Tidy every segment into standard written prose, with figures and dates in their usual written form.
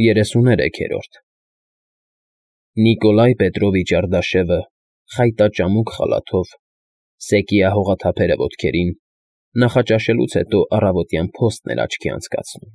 33-րդ Նիկոլայ Պետրովիչ Արդաշևը խայտաճամուկ խալաթով, սեկիահողաթափերը ոտքերին, նախաճաշելուց հետո առավոտյան փոստն էր աչքի անցկացնում,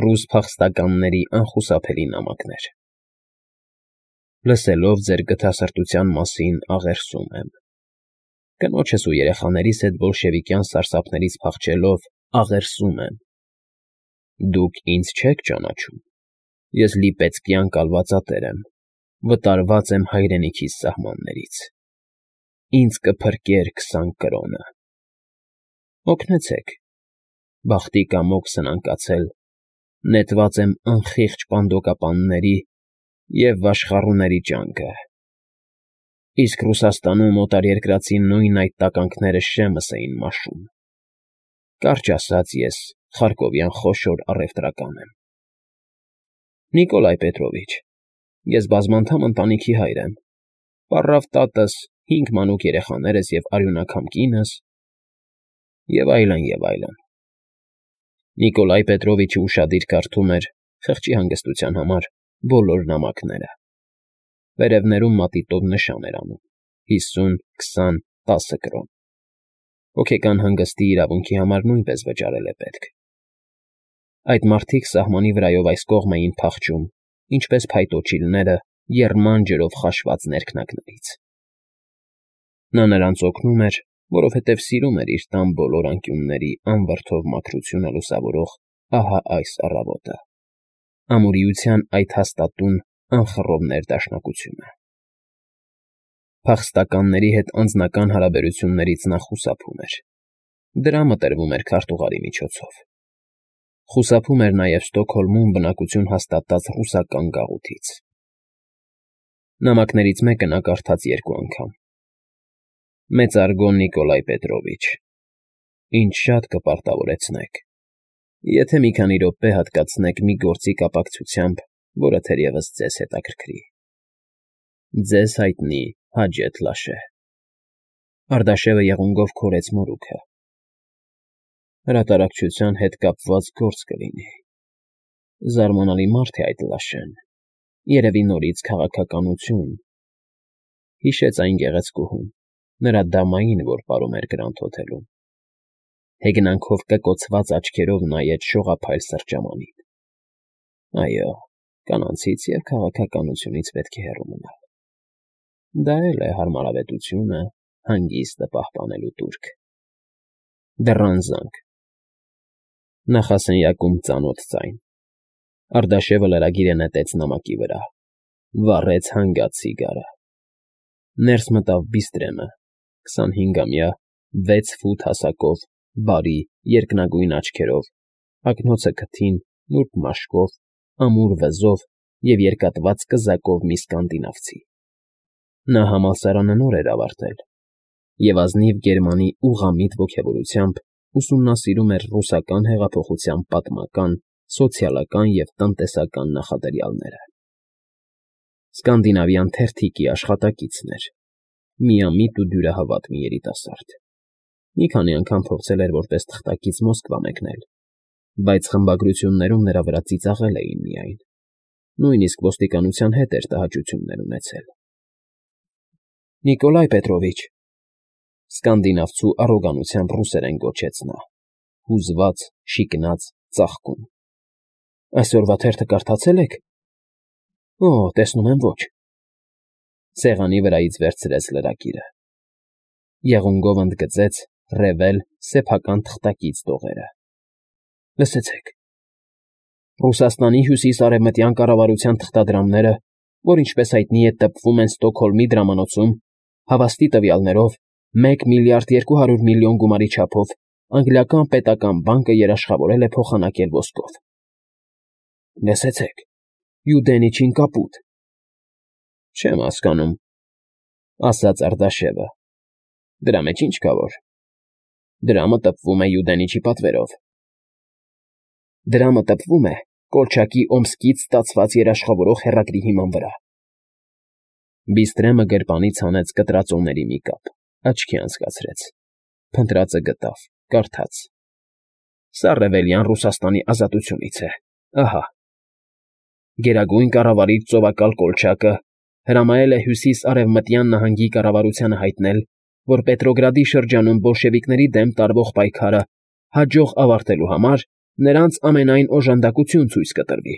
ռուս փախստականների անխուսափելի նամակներ։ Լսելով ձեր գթասրտության մասին աղերսում եմ։ Կնոջս ու երեխաներիս հետ բոլշևիկյան սարսափներից փախչելով աղերսում եմ։ Դուք ինձ չեք ճանաչում։ Ես լիպեցկյան կալվածատեր եմ, վտարված եմ հայրենիքիս սահմաններից։ Ինձ կփրկեր 20 կրոնը։ Օգնեցեք, բախտի կամոք սնանկացել, նետված եմ անխիղճ պանդոկապանների և վաշխառուների ճանկը։ Իսկ Ռուսաստանում օտարերկրացի նույն այդ տականքները շեմս էին մաշում։ Կարճ ասած, ես խարկովյան խոշոր առևտրական եմ։ Նիկոլայ Պետրովիչ, ես բազմանդամ ընտանիքի հայր եմ, պառավ տատս, 5 մանուկ երեխաներս և արյունակամ կինս, և այլն, և այլն։ Նիկոլայ Պետրովիչը ուշադիր կարդում էր, խղճի հանգստության համար, բոլոր նամակները։ Վերևներում մատիտով նշան էր անում. 50, 20, 10 կրոն։ Հոգեկան հանգստի իրավունքի համար նույնպես վճարել է պետք։ Այդ մարդիկ սահմանի վրայով այս կողմ էին փախչում, ինչպես փայտոջիլները եռման ջրով խաշված ներքնակներից։ Նա նրանց օգնում էր, որովհետև սիրում էր իր տան բոլոր անկյունների անվրդով մաքրությունը լուսավորող ահա այս առավոտը, ամուրիության այդ հաստատուն անխռով ներդաշնակությունը։ Փախստականների հետ անձնական հարաբերություններից նա խուսափում էր։ Դրա մտրվում էր քարտուղարի միջոցով։ Խուսափում էր նաև Ստոկհոլմում բնակություն հաստատած ռուսական գաղութից։ Նամակներից մեկը նա կարդաց 2 անգամ. Մեծարգո Նիկոլայ Պետրովիչ, ինձ շատ կպարտավորեցնեք, եթե մի քանի րոպե հատկացնեք մի գործի կապակցությամբ, որը թերևս ձեզ հետաքրքրի։ Ձեզ հայտնի Հաջեթ Լաշե։ Արդաշևը եղունգով քորեց մորուքը։ Հրատարակչության հետ կապված գործ կլինի։ Զարմանալի մարդ է այդ Լաշեն, երևի նորից քաղաքականություն։ Հիշեց այն գեղեցկուհուն, նրա դամային, որ պարում էր Գրանդ հոթելում։ Հեգնանքով կկոցված աչքերով նայեց շողափայլ սրճամանին։ Այո, կանանցից և քաղաքականությունից պետք է հեռու մնալ։ Դա էլ է հարմարավետությունը հանգիստը պահպանելու տուրք։ Դռան զանգ։ Նախասենյակում ծանոթ ձայն։ Արդաշևը լրագիրը նետեց նամակի վրա, վառեց հանգած սիգարը։ Ներս մտավ Բիստրեմը, 25-ամյա, 6 ֆուտ հասակով, բարի, երկնագույն աչքերով, ակնոցը քթին, նուրբ մաշկով, ամուր վզով և երկատված կզակով մի սկանդինավցի։ Նա համալսարանը նոր էր ավարտել և ազնիվ գերմանի ուղղամիտ ոգևորությամբ ուսումնասիրում էր ռուսական հեղափոխության պատմական, սոցիալական և տնտեսական նախադրյալները։ Սկանդինավյան թերթիկի աշխատակիցն էր, միամիտ ու դյուրահավատ մի երիտասարդ։ Մի քանի անգամ փորձել էր որպես թղթակից Մոսկվա մեկնել, բայց խմբագրություններում նրա վրա ծիծաղել էին միայն, նույնիսկ ոստիկանության հետ էր տհաճություններ ունեցել։ Նիկոլայ Պետրովիչ, սկանդինավցու առոգանությամբ ռուսերեն գոչեց նա, հուզված, շիկնած, ծաղկում։ Այսօրվա թերթը կարդացե՞լ եք։ Օ, տեսնում եմ, ոչ։ Սեղանի վրայից վերցրեց լրագիրը։ Եղունգով ընդգծեց ռևել սեփական թղթակից տողերը։ Լսեցեք։ Ռուսաստանի հյուսիս֊արևմտյան կառավարության թղթադրամները, որ ինչպես հայտնի է տպվում են Ստոկհոլմի դրամանոցում, հավաստի տվյալներով 1 միլիարդ 200 միլիոն գումարի չափով անգլիական պետական բանկը երաշխավորել է փոխանակել ոսկով։ Լսեցեք, Յուդենիչին կապուտ։ Չեմ հասկանում, ասաց Արդաշևը։ Դրա մեջ ինչ կա որ։ Դրամը տպվում է Յուդենիչի պատվերով։ Դրամը տպվում է Կոլչակի Օմսկից ստացված երաշխավորող հեռագրի հիման վրա։ Բիստրեմը գրպանից հանեց կտրածոների մի կապ, աչքի անցկացրեց, փնտրածը գտավ, կարդաց. Սա Ռևելյան Ռուսաստանի ազատությունից է, ահա։ Գերագույն կառավարիչ ծովակալ Կոլչակը հրամայել է հյուսիս-արևմտյան նահանգի կառավարությանը հայտնել, որ Պետրոգրադի շրջանում բոլշևիկների դեմ տարվող պայքարը հաջող ավարտելու համար նրանց ամենայն օժանդակություն ցույց կտրվի,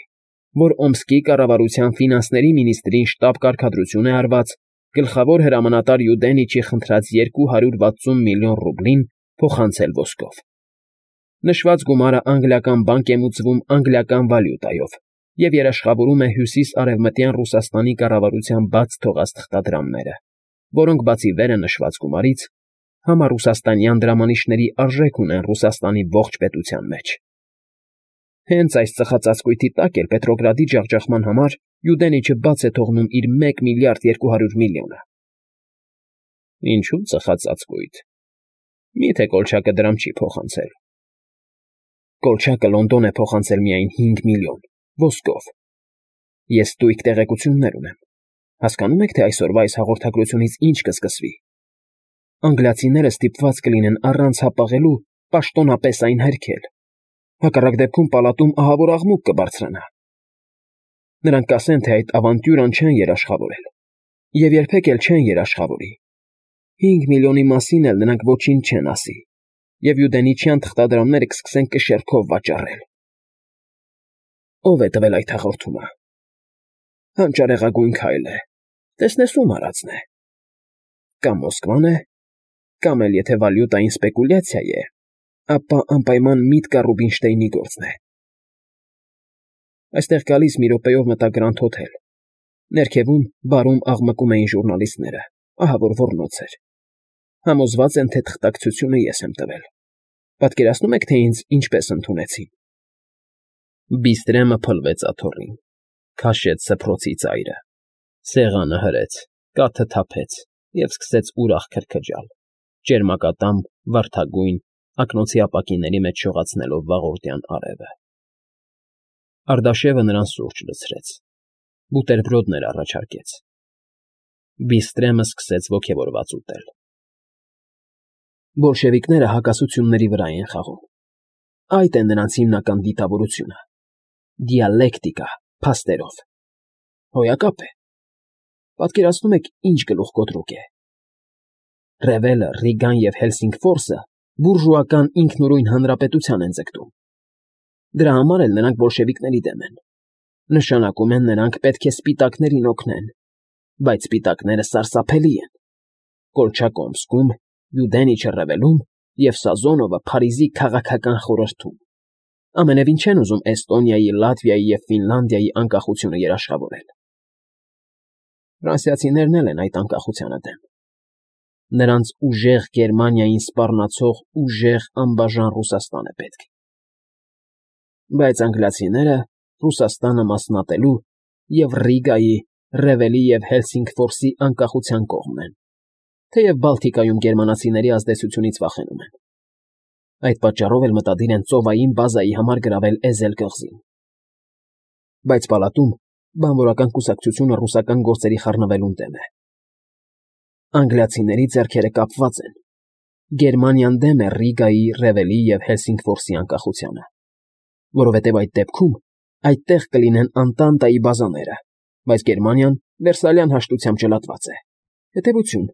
որ Օմսկի կառավարության ֆինանսների մինիստրին շտապ կարգադրություն է արված գլխավոր հրամանատար Յուդենիչի խնդրած 260 միլիոն ռուբլին փոխանցել ոսկով։ Նշված գումարը անգլիական բանկ է մուծվում անգլիական վալյուտայով և երաշխավորում է հյուսիս-արևմտյան Ռուսաստանի կառավարության բաց թողած թղթադրամները, որոնք բացի վերը նշված գումարից համառուսաստանյան դրամանիշների արժեք ունեն Ռուսաստանի ողջ պետության մեջ։ Հենց այս ծխածածկույթի տակ էլ Պետրոգրադի ջախջախման համար Յուդենիչը բաց է թողնում իր 1 միլիարդ 200 միլիոնը։ Ինչու ծխածածկույթ։ Միթե Կոլչակը դրամ չի փոխանցել։ Կոլչակը Լոնդոն է փոխանցել միայն 5 միլիոն, ոսկով։ Ես ստույգ տեղեկություններ ունեմ։ Հասկանում եք, թե այսօրվա այս հաղորդագրությունից ինչ կսկսվի։ Անգլիացիները ստիպված կլինեն առանց հապաղելու պաշտոնապես այն հերքել։ Հակառակ դեպքում պալատում ահավոր աղմուկ կբարձրանա։ Նրանք կասեն, թե այդ ավանտյուրան չեն երաշխավորել։ Եվ երբեք էլ չեն երաշխավորի։ 5 միլիոնի մասին էլ նրանք ոչինչ չեն ասի։ Եվ Յուդենիչյան թղթադրամները կսկսեն կշեռքով վաճառել։ Ո՞վ է տվել այդ հաղորդումը։ Հանճարեղագույն քայլ է։ Տեսնես ում արածն է։ Կամ Մոսկվան է, կամ էլ եթե վալյուտային սպեկուլյացիա է, ապա անպայման Միտկա Ռուբինշտեյնի գործն է։ Այստեղ գալիս մի րոպեով մտա Գրանդ Հոթել։ Ներքևում բարում աղմկում էին ժուրնալիստները, ահավոր ոռնոց էր։ Համոզված են, թե թղթակցությունը ես եմ տվել։ Պատկերացնում եք, թե ինձ ինչպես ընդունեցին։ Բիստրեմը փլվեց աթոռին, քաշեց սփռոցի ծայրը, սեղանը հրեց, կաթը թափեց և սկսեց ուրախ քրքջալ, ճերմակատամ, վարդագույն, ակնոցի ապակիների մեջ շողացնելով վաղորդյան արևը։ Արդաշևը նրան սուրճ լցրեց, բուտերբրոդներ առաջարկեց։ Բիստրեմը սկսեց ոգևորված ուտել։ Բոլշևիկները հակասությունների վրա են խաղում։ Այդ է նրանց հիմնական դիտավորությունը։ Դիալեկտիկա, փաստերով։ Հոյակապ է։ Պատկերացնում եք, ինչ գլուխկոտրուկ է։ Ռևելը, Ռիգան և Հելսինգֆորսը բուրժուական ինքնուրույն հանրապետության են ձգտում։ Դրա համար էլ նրանք բոլշևիկների դեմ են։ Նշանակում են, նրանք պետք է սպիտակներին օգնեն, բայց սպիտակները սարսափելի են։ Կոլչակը Օմսկում, Յուդենիչը Ռևելում և Սազոնովը Փարիզի քաղաքական խորհրդում։ Ամենևին չեն ուզում Էստոնիայի, Լատվիայի և Ֆինլանդիայի անկախությունը երաշխավորել։ Ֆրանսիացիներն էլ են այդ անկախությանը դեմ։ Նրանց ուժեղ Գերմանիային սպառնացող ուժեղ անբաժան Ռուսաստան է պետք։ Բայց անգլիացիները Ռուսաստանը մասնատելու և Ռիգայի, Ռևելի և Հելսինգֆորսի անկախության կողմն են, թեև Բալտիկայում գերմանացիների ազդեցությունից վախենում են։ Այդ պատճառով էլ մտադիր են ծովային բազայի համար գրավել Էզել կղզին։ Բայց պալատում բանվորական կուսակցությունը ռուսական գործերի խառնվելուն դեմ է։ Անգլիացիների ձեռքերը կապված են։ Գերմանիան դեմ է Ռիգայի, Ռևելի և Հելսինգֆորսի անկախությանը, որովհետև այդ դեպքում այդտեղ կլինեն Անտանտայի բազաները, բայց Գերմանիան Վերսալյան հաշտությամբ ճլատված է։ Հետևություն։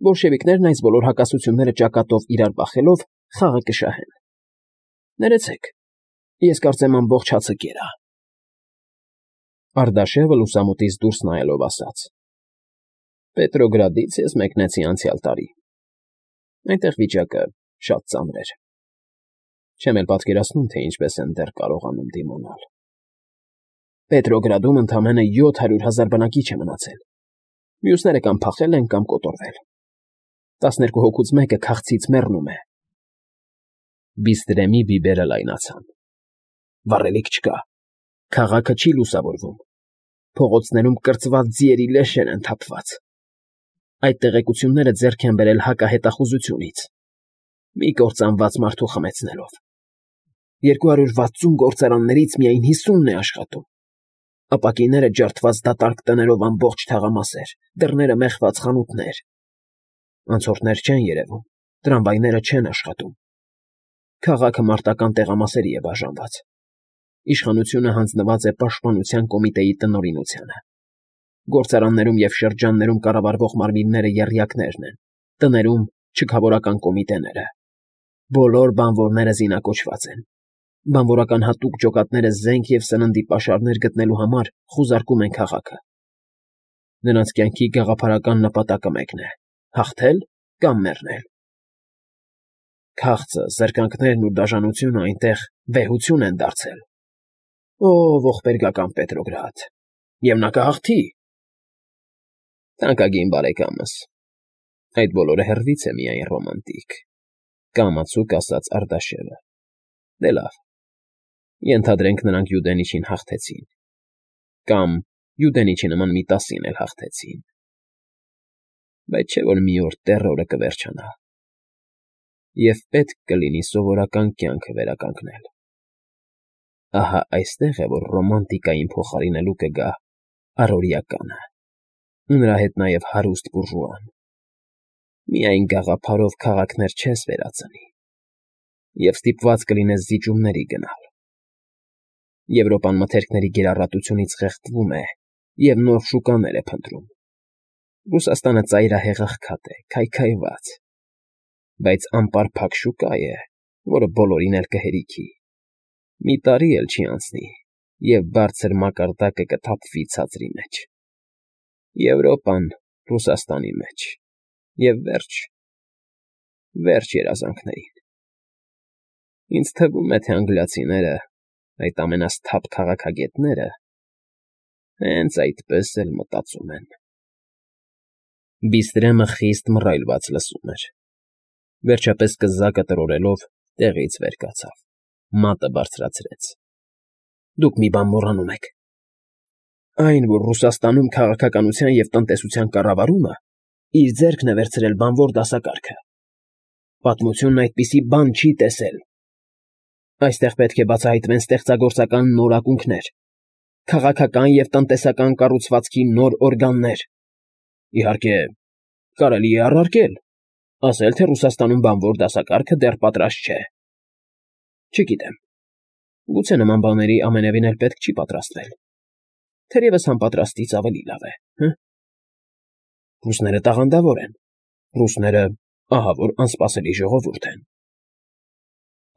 Բոլշևիկներն այս բոլոր հակասությունները ճակատով իրար բախելով խաղը կշահեն։ Ներեցեք, ես կարծեմ ամբողջ հացը կերա։ Արդաշևը լուսամուտից դուրս նայելով ասաց. Պետրոգրադից ես մեկնեցի անցյալ տարի։ Այնտեղ վիճակը շատ ծանր էր։ Չեմ էլ պատկերացնում, թե ինչպես են դեռ կարողանում դիմանալ։ Պետրոգրադում ընդամենը 700,000 բնակիչ է մնացել։ Մյուսները կամ փախել են, կամ կոտորվել։ 12 հոգուց մեկը քաղցից մեռնում է։ Բիստրեմի բիբերը լայնացան։ Վառելիք չկա։ Քաղաքը չի լուսավորվում։ Փողոցներում կրծված ձիերի լեշեր են թափված։ Այդ տեղեկությունները ձեռք են բերել հակահետախուզությունից։ Մի կործանված մարդու խմեցնելով։ 260 գործարաններից միայն 50-ն է աշխատում։ Ապակիները ջարդված դատարկ տներով ամբողջ թաղամասեր, դռները մեխված խանութներ։ Անցորդներ չեն երևում, տրամվայները չեն աշխատում։ Քաղաքը մարտական տեղամասերի է բաժանված։ Իշխանությունը հանձնված է պաշտպանության կոմիտեի տնօրինությանը։ Գործարաններում և շրջաններում կառավարվող մարմինները եռյակներն են, տներում չքավորական կոմիտեները։ Բոլոր բանվորները զինակոչված են։ Բանվորական հատուկ ջոկատները զենք և սննդի պաշարներ գտնելու համար խուզարկում են քաղաքը։ Նրանց կյանքի գաղափարական նպատակը մեկն է՝ հաղթել կամ մեռնել։ Քաղցը, զրկանքներն ու դաժանությունը այնտեղ վեհություն են դարձել։ Ո՜վ ողբերգական Պետրոգրադ, և նա կհաղթի։ Թանկագին բարեկամս, այդ բոլորը հեռվից է միայն ռոմանտիկ, կամացուկ ասաց Արտաշեսը։ Դե լավ, ենթադրենք նրանք Յուդենիչին հաղթեցին, կամ Յուդենիչի նման մի 10-ին էլ հաղթեցին, բայց չէ՞ որ մի օր տեռորը կվերջանա, և պետք կլինի սովորական կյանքը վերականգնել։ Ահա այստեղ է, որ ռոմանտիկային փոխարինելու կգա առօրեականը, ու նրա հետ նաև հարուստ բուրժուան։ Միայն գաղափարով քաղաքներ չես վերածնի, և ստիպված կլինես զիջումների գնալ։ Եվրոպան մթերքների գերառատությունից խեղդվում է և նոր շուկաներ է փնտրում։ Ռուսաստանը ծայրահեղ աղքատ է, քայքայված, բայց անպարփակ շուկա է, որը բոլորին էլ կհերիքի։ Մի տարի էլ չի անցնի, և բարձր մակարդակը կթափվի ցածրի մեջ։ Եվրոպան Ռուսաստանի մեջ, և վերջ երազանքներին։ Ինձ թվում է, թե անգլիացիները, այդ ամենասթափ քաղաքագետները, հենց այդպես էլ մտածում են։ Բիստրեմը խիստ մռայլված լսում էր։ Վերջապես կզակը տրորելով տեղից վեր կացավ, մատը բարձրացրեց։ Դուք մի բան մոռանում եք։ Այն, որ Ռուսաստանում քաղաքականության և տնտեսության կառավարումը իր ձեռքն է վերցրել բանվոր դասակարգը։ Պատմությունն այդպիսի բան չի տեսել։ Այստեղ պետք է բացահայտվեն ստեղծագործական նոր ակունքներ, քաղաքական և տնտեսական կառուցվածքի նոր օրգաններ։ Իհարկե, կարելի է առարկել, ասել, թե Ռուսաստանում բանվոր դասակարգը դեռ պատրաստ չէ։ Չգիտեմ, գուցե նման բաների ամենևին էլ պետք չի պատրաստվել, թերևս անպատրաստից ավելի լավ է, հը՞։ Ռուսները տաղանդավոր են, ռուսները ահավոր անսպասելի ժողովուրդ են։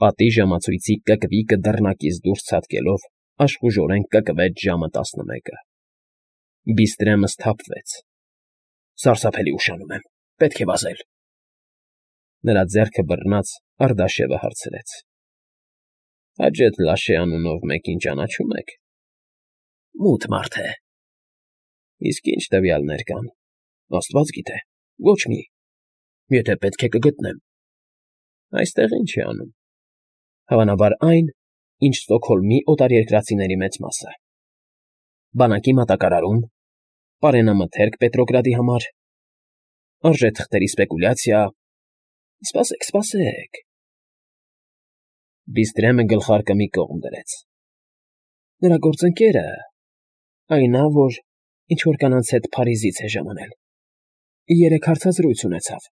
Պատի ժամացույցի կկվիկը դռնակից դուրս ցատկելով աշխուժորեն կկվեց ժամը 11-ը։ Բիստրեմը սթափվեց։ Սարսափելի ուշանում եմ, պետք է վազել։ Նրա ձեռքը բռնած Արտաշեսը հարցրեց. Հաջեթ Լաշե անունով մեկին ճանաչում եք։ Մութ մարդ է։ Իսկ ինչ տվյալներ կան, աստված գիտե, ոչ մի։ Եթե պետք է կգտնեմ։ Այստեղ ինչ է անում։ Հավանաբար այն, ինչ Ստոկհոլմի օտարերկրացիների մեծ մասը։ Բանակի մատակարարում, պարենամթերք Պետրոգրադի համար, արժեթղթերի սպեկուլյացիա։ Սպասեք։ Բիստրեմը գլխարկը մի կողմ դրեց։ Նրա գործընկերը, այնա, որ ինչ-որ կանանց հետ Փարիզից է ժամանել, երեկ հարցազրույց ունեցավ։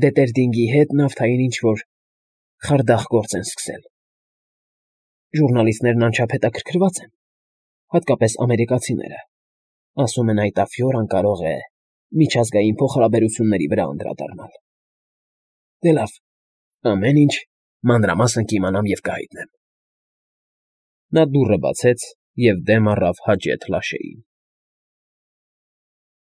Դետերդինգի հետ նավթային ինչ-որ խարդախ գործ են սկսել։ Ժուրնալիստներն անչափ հետաքրքրված են, հատկապես ամերիկացիները։ Ասում են այդ ափիորան կարող է միջազգային փոխհարաբերությունների վրա անդրադառնալ։ Դե լավ, ամեն ինչ մանրամասն կիմանամ և կհայտնեմ։ Նա դուռը բացեց և դեմ առավ Հաջեթ Լաշեին։